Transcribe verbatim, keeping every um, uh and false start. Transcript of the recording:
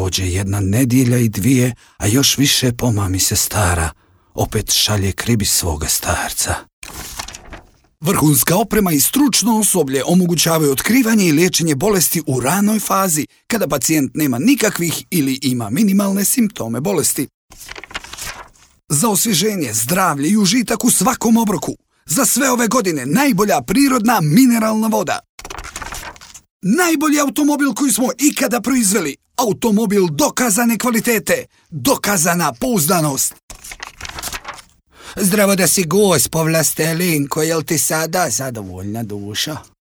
Prođe jedna nedjelja i dvije, a još više pomami se stara. Opet šalje k ribi svoga starca. Vrhunska oprema i stručno osoblje omogućavaju otkrivanje i liječenje bolesti u ranoj fazi, kada pacijent nema nikakvih ili ima minimalne simptome bolesti. Za osvježenje, zdravlje i užitak u svakom obroku. Za sve ove godine najbolja prirodna mineralna voda. Najbolji automobil koji smo ikada proizveli. Automobil dokazane kvalitete. Dokazana pouzdanost. Zdravo da si gospo Vlastelinko, jel ti sada zadovoljna duša?